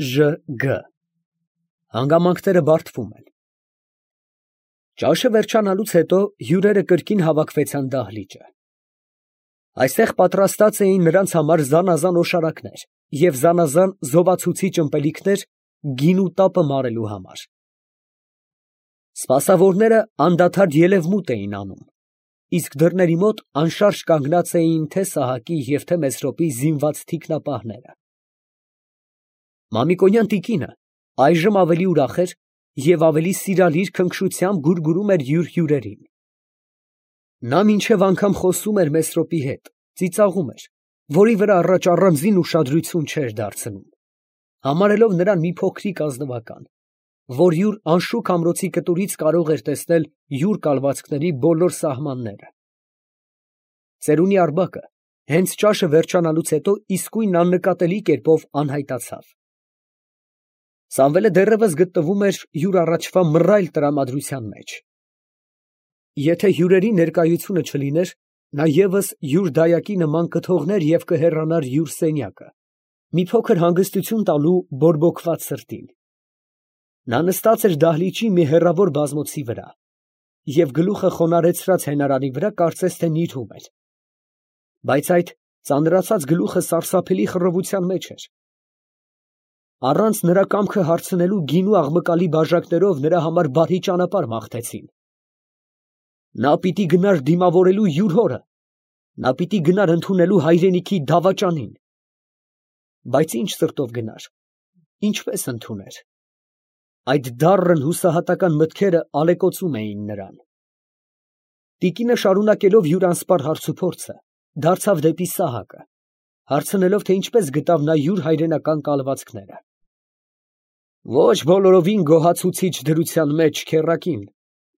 Ժ.Գ. Հանգամանքները բարդվում են։ Ճաշը վերջանալուց հետո հյուրերը կրկին հավաքվեցան դահլիճը։ Այստեղ պատրաստած էին նրանց համար զանազան օշարակներ և զանազան զովացուցիչ ըմպելիքներ գինու տապը մարելու համար։ Սպասավորները անդադար ելևմուտ էին անում, իսկ դռների մոտ անշարժ կանգնած էին թե Սահակի և թե Մեսրոպի զինված թիկնապահները։ Մամիկոնյան տիկինը այժմ ավելի ուրախ էր և ավելի սիրալիր քնքշությամբ գուրգուրում էր յուր հյուրերին։ Նա մինչև անգամ խոսում էր Մեսրոպի հետ, ծիծաղում էր, որի վրա առաջ առանձին ուշադրություն չէր դարձնում, համարելով նրան մի փոքրիկ ազնվական, որ յուր անշուք ամրոցի կտուրից կարող էր տեսնել յուր կալվածքների բոլոր սահմանները։ Ծերունի Արգաբը հենց ճաշը վերջանալուց հետո իսկույն աննկատելի կերպով անհայտացավ։ Սամվելը դեռևս գտնվում էր յուր առաջվա մռայլ տրամադրության մեջ։ Եթե հյուրերի ներկայությունը չլիներ, նա ևս յուր դայակի նման կթողներ և կհեռանար յուր սենյակը, մի փոքր հանգստություն տալու բորբոքված սրտին։ Նա նստած էր դահլիճի մի հեռավոր բազմոցի վրա և գլուխը խոնարհեցրած հենարանի վրա կարծես թե նիրհում էր, բայց այդ ծանրացած գլուխը սարսափելի խռովության մեջ էր։ Առանց նրա կամքը հարցնելու գինու աղմկալի բաժակներով նրա համար բարի ճանապարհ մաղթեցին։ Նա պիտի գնար դիմավորելու յուր հորը, նա պիտի գնար ընդունելու հայրենիքի դավաճանին։ Բայց ինչ սրտով գնար, ինչպես ընդուներ։ Այդ դառն հուսահատական մտքերը ալեկոծում էին նրան։ Տիկինը շարունակելով յուր անսպառ հարցուփորձը, դարձավ դեպի Սահակը, հարցնելով, թե ինչպես գտավ նա յուր հայրենական կալվածքները։ Ոչ բոլորովին գոհացուցիչ դրության մեջ, քեռակին,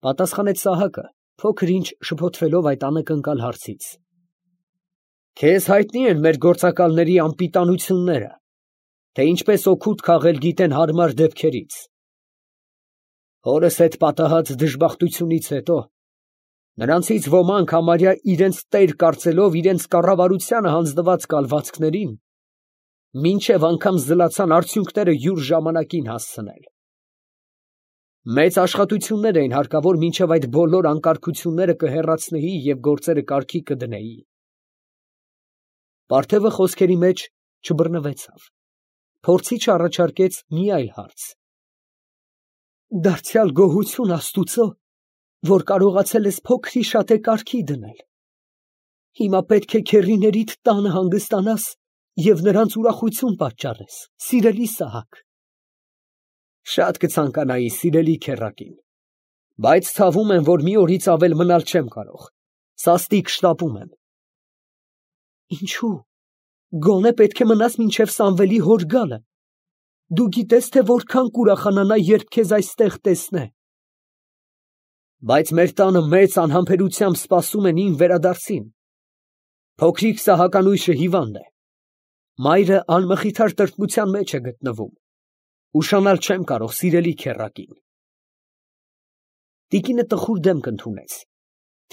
պատասխանեց Սահակը, փոքր ինչ շփոթվելով այդ անակնկալ հարցից։ Քեզ հայտնի են մեր գործակալների անպիտանությունները, թե ինչպես օգուտ քաղել գիտեն հարմար դեպքերից։ Հորս հետ պատահած դժբախտությունից հետո նրանցից ոմանք համարյա իրենց տեր կարծելով իրենց կառավարությանը հանձնված կալվածքներին մինչև անգամ զլացան արդյունքները յուր ժամանակին հասցնել։ Մեծ աշխատություններ էին հարկավոր մինչև այդ բոլոր անկարգությունները կհեռացնեի և գործերը կարգի կդնեի։ Պարթևը խոսքերի մեջ չբռնվեցավ, փորձիչ առաջարկեց մի այլ հարց։ Դարձյալ գոհություն Աստուծո, որ կարողացել ես փոքրիշատե կարգի դնել։ Հիմա պետք է քեռիներիդ տանը հանգստանաս և նրանց ուրախություն պատճառես, սիրելի Սահակ։ Շատ կցանկանայի, սիրելի քեռակին, բայց ցավում եմ, որ մի օրից ավել մնալ չեմ կարող, սաստիկ շտապում եմ։ Ինչո՞ւ, գոնե պետք է մնաս մինչև Սամվելի հոր գալը։ Դու գիտես, թե որքան կուրախանա նա, երբ քեզ այստեղ տեսնե։ Բայց մեր տանը մեծ անհամբերությամբ սպասում են իմ վերադարձին։ Փոքրիկ Սահականույշը հիվանդ է։ Մայրը անմխիթար տրտմության մեջ է գտնվում։ Ուշանալ չեմ կարող, սիրելի քեռակին։ Տիկինը տխուր դեմք ընդունեց,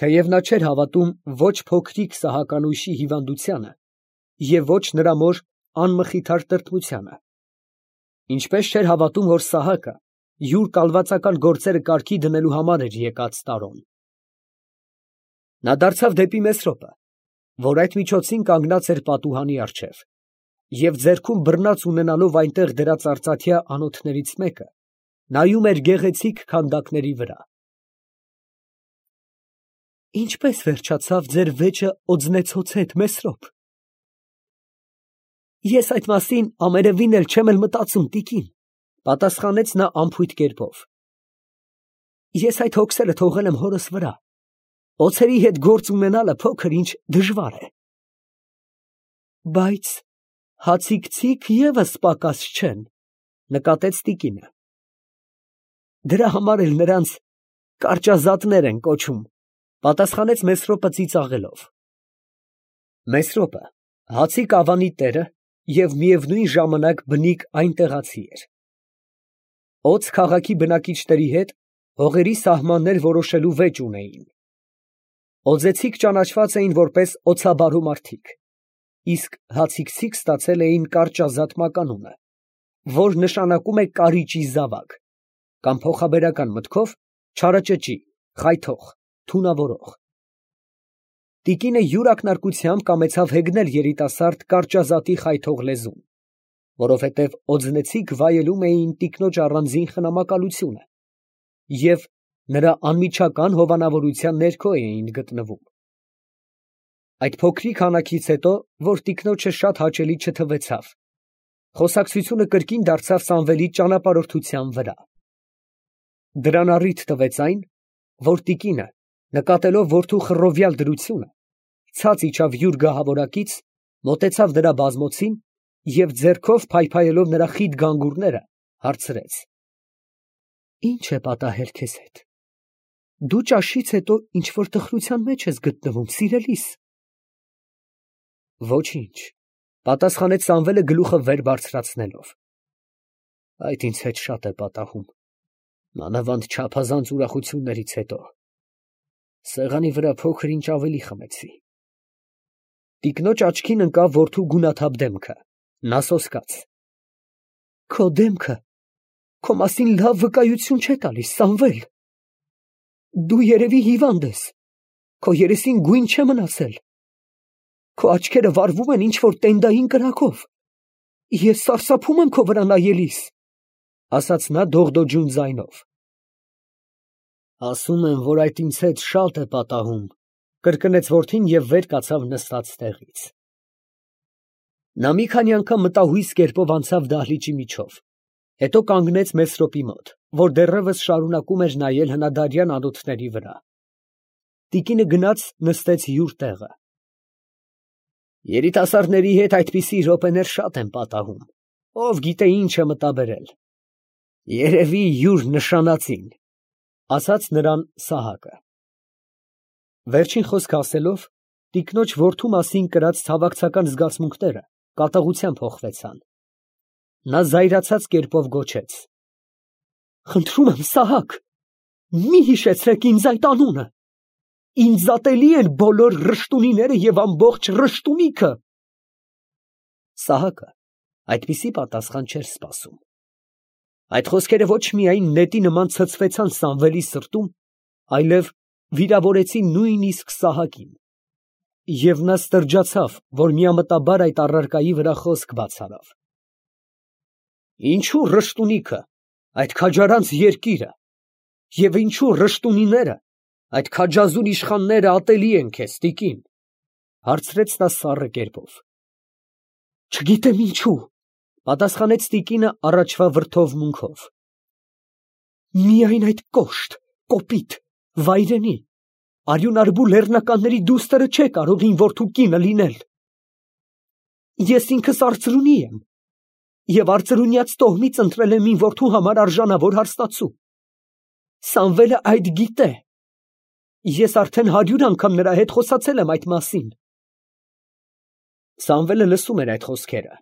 թեև նա չէր հավատում ոչ փոքրիկ Սահականույշի հիվանդությանը և ոչ նրա մոր անմխիթար տրտմությանը, ինչպես չէր հավատում, որ Սահակը յուր կալվածական գործերը կարգի դնելու համար էր եկած Տարոն։ Նա դարձավ դեպի Մեսրոպը, որ այդ միջոցին կանգնած էր պատուհանի առջև, և ձեռքում բռնած ունենալով այնտեղ դրած արծաթյա անոթներից մեկը, նայում էր գեղեցիկ քանդակների վրա։ Ինչպե՞ս վերջացավ ձեր վեճը օձնեցոց հետ, Մեսրոպ։ Ես այդ մասին ամենևին էլ չեմ մտածում, տիկին, պատասխանեց նա անփույթ կերպով։ Ես այդ հոգսերը թողել եմ հորս վրա։ Օձերի հետ գործ ունենալը փոքր ինչ դժվար է։ Բայց հացիկ ևս պակաս չեն, նկատեց տիկինը։ Դրա համար էլ նրանց կարճազատներ են կոչում, պատասխանեց Մեսրոպը ծիծաղելով։ Մեսրոպը հացիկ ավանի տերը և միևնույն ժամանակ բնիկ այնտեղացի էր։ Օձ քաղաքի բնակիչների հետ հողերի սահմաններ որոշելու վեճ ունեին։ Օձեցիք ճանաչված էին որպես օձաբարու մարդիկ, իսկ հացիկցիք ստացել էին կարճազատ մականունը, որ նշանակում է կարիճի զավակ, կամ փոխաբերական մտքով չարաճճի, խայթող, թունավորող։ Տիկինը յուր ակնարկությամբ կամեցավ հեգնել երիտասարդ կարճազատի խայթող լեզուն, որովհետև օձնեցիք վայելում էին տիկնոջ առանձին խնամակալությունը և նրա անմիջական հովանավորության ներքո էին գտնվում։ Այդ փոքրիկ հանակից հետո, որ տիկնոջը շատ հաճելի չթվեցավ, խոսակցությունը կրկին դարձավ Սամվելի ճանապարհորդության վրա։ Դրան առիթ տվեց այն, որ տիկինը, նկատելով որդու խռովյալ դրությունը, ցած իջավ յուր գահավորակից, մոտեցավ նրա բազմոցին և ձեռքով փայփայելով նրա խիտ գանգուրները, հարցրեց. «Ի՞նչ է պատահել քեզ հետ. դու ճաշից հետո ինչ֊որ տխրության մեջ ես գտնվում, սիրելիս»։ «Ոչինչ», պատասխանեց Սամվելը գլուխը վեր բարձրացնելով. «Այդ ինձ հետ շատ է պատահում, մանավանդ չափազանց ուրախություններից հետո։ Սեղանի վրա փոքր ինչ ավելի խմեցի»։ Տիկնոջ աչքին ընկավ որդու գունաթափ դեմքը, նա սոսկաց. «Քո դեմքը քո մասին լավ վկայություն չէ տալիս, Սամվել։ Դու երևի հիվանդ ես, քո երեսին գույն չէ մնացել, քո աչքերը վառվում են ինչ֊որ տենդային կրակով, ես սարսափում եմ քո վրա նայելիս», ասաց նա դողդոջուն ձայնով։ «Ասում եմ, որ այդ ինձ հետ շատ է պատահում», կրկնեց որդին և վեր կացավ նստած տեղից։ Նա մի քանի անգամ մտահույս կերպով անցավ դահլիճի միջով, հետո կանգնեց Մեսրոպի մոտ, որ դեռևս շարունակում էր նայել հնադարյան անոթների վրա։ Տիկինը գնաց նստեց յուր տեղը։ «Երիտասարդների հետ այդպիսի րոպեներ շատ են պատահում, ով գիտե ինչ է մտաբերել։ Երևի յուր նշանածին», ասաց նրան Սահակը։ Վերջին խոսքը ասելով, տիկնոջ որդու մասին կրած ցավակցական զգացմունքները կատաղությամբ հոխվեցան։ Նա զայրացած կերպով գոչեց. «Խնդրում եմ, Սահակ, մի հիշեցրեք ինձ այդ անունը, ինձ ատելի են բոլոր ռշտունիները և ամբողջ ռշտունիքը»։ Սահակը այդպիսի պատասխան չէր սպասում։ Այդ խոսքերը ոչ միայն նետի նման ցցվեցան Սամվելի սրտում, այլև վիրավորեցին նույնիսկ Սահակին, և նա ստրջացավ, որ միամտաբար այդ առարկայի վրա խոսք բաց արավ։ «Ինչո՞ւ ռշտունիքը, այդ քաջարանց երկիրը, և ինչո՞ւ ռշտունիները, այդ քաջազուն իշխանները ատելի են քեզ, տիկին», հարցրեց նա սառը կերպով։ «Չգիտեմ ինչու», պատասխանեց տիկինը առաջվա վրդովմունքով։ «Միայն այդ կոշտ, կոպիտ, վայրենի, արյունարբու լեռնականների դուստր չէ կարող իմ որդու կինը լինել։ Ես ինքս արծրունի եմ և արծրունյաց տոհմից ընտրել եմ իմ որդու համար արժանավոր հարստացու։ Սամվելը այդ գիտե։ Ես արդեն 100 անգամ նրա հետ խոսացել եմ այդ մասին»։ Սամվելը լսում էր այդ խոսքերը։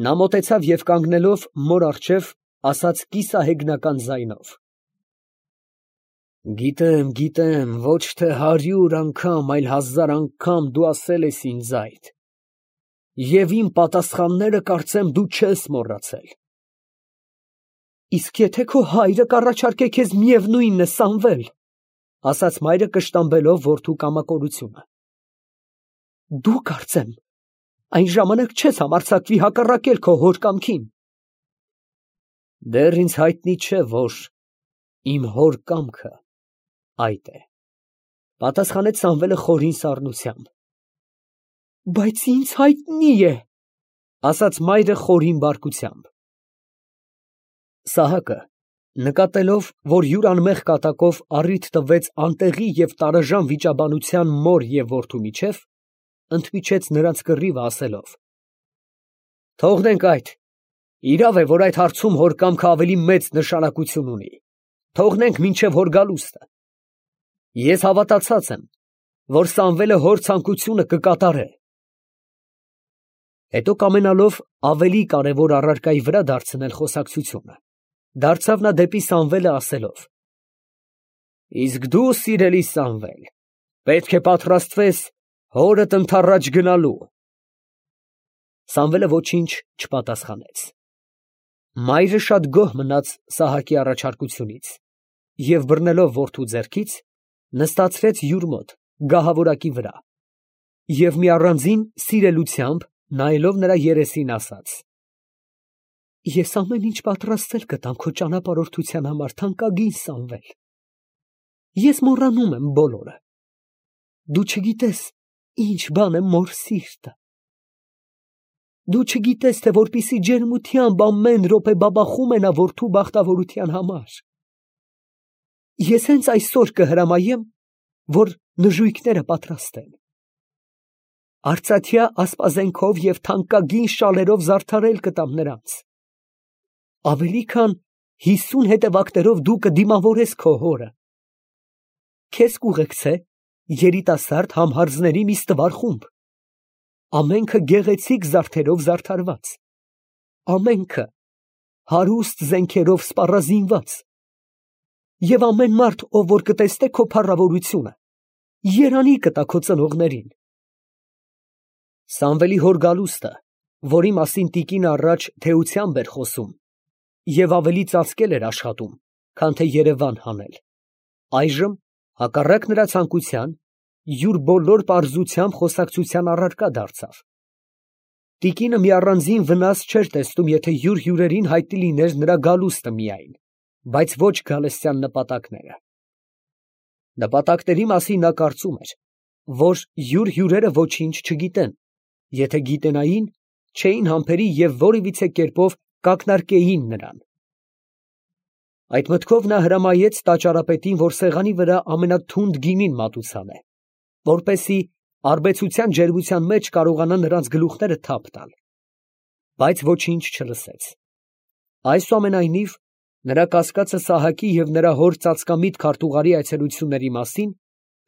Նա մոտեցավ և կանգնելով մոր առջև, ասաց կիսահեգնական ձայնով. «Գիտեմ, ոչ թե 100 անգամ, այլ 1000 անգամ դու ասել ես ինձ այդ, և իմ պատասխանները, կարծեմ, դու չես մոռացել»։ «Իսկ եթե քո հայրը կառաջարկե քեզ միևնույնն է, Սամվել», ասաց մայրը կշտամբելով որդու կամակորությունը, «դու, կարծեմ, այն ժամանակ չես համարձակվի հակառակել քո հոր կամքին»։ «Դեռ ինձ հայտնի չէ, որ իմ հոր կամքը այդ է», պատասխանեց Սամվելը խորին սառնությամբ։ «Բայց ինձ հայտնի է», ասաց մայրը խորին բարկությամբ։ Սահակը, նկատելով, որ յուր անմեղ կատակով առիթ տվեց անտեղի և տարաժան վիճաբանության մոր և որդու միջև, ընդմիջեց նրանց կռիվը, ասելով. «Թողնենք այդ, իրավ է, որ այդ հարցում հոր կամքը ավելի մեծ նշանակություն ունի, թողնենք մինչև հոր գալուստը։ Ես հավատացած եմ, որ Սամվելը հոր ցանկությունը կկատարե»։ Հետո կամենալով ավելի կարևոր առարկայի վրա դարձնել խոսակցությունը, դարձավ նա դեպի Սամվելը, ասելով. «Իսկ դու, սիրելի Սամվել, պետք է պատրաստվես հորդ ընդառաջ գնալու»։ Սամվելը ոչինչ չպատասխանեց։ Մայրը շատ գոհ մնաց Սահակի առաջարկությունից և բռնելով որդու ձեռքից, նստացրեց յուր մոտ գահավորակի վրա և մի առանձին սիրելությամբ նայելով նրա երեսին ասաց. «Ես ամեն ինչ պատրաստել կտամ քո ճանապարհորդության համար, թանկագին Սամվել. ես մոռանում եմ բոլորը, դու չգիտես ինչ բան է մոր սիրտը, դու չգիտես, թե որպիսի ջերմությամբ ամեն րոպե բաբախում է նա որդու բախտավորության համար, ես հենց այսօր կհրամայեմ, որ նժույգները պատրաստ են, արծաթյա ասպազենքով և թանկագին շալերով զարդարել կտամ նրանց, ավելի քան 50 հետևակներով դու կդիմավորես քո հորը, քեզ կուղեկցե երիտասարդ համհարձների մի ստվար խումբ, ամենքը գեղեցիկ զարդերով զարդարված, ամենքը հարուստ զենքերով սպառազինված, և ամեն մարդ, ով որ կտեսնե քո փառավորությունը, երանի կտա քո ծնողներին»։ Սամվելի հոր գալուստը, որի մասին տիկինը առաջ թեությամբ էր խոսում և ավելի ծածկել էր աշխատում, քան թե երևան հանել, այժմ, հակառակ նրա ցանկության, յուր բոլոր պարզությամբ խոսակցության առարկա դարձավ։ Տիկինը մի առանձին վնաս չէր տեսնում, եթե յուր հյուրերին հայտնի լիներ նրա գալուստը միայն, բայց ոչ գալստյան նպատակները։ Նպատակների մասին նա կարծում էր, որ յուր հյուրերը ոչինչ չգիտեն, եթե գիտենային, չէին համբերի և որևիցե կերպով կակնարկեին նրան։ Այդ մտքով նա հրամայեց տաճարապետին, որ սեղանի վրա ամենաթունդ գինին մատուցանե, որպեսզի արբեցության ջերմության մեջ կարողանա նրանց գլուխները թափ տալ, բայց ոչինչ չլսեց։ Այսուամենայնիվ, նրա կասկածը Սահակի և նրա հոր ծածկամիտ քարտուղարի այցելությունների մասին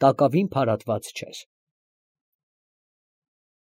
տակավին փարատված չէր։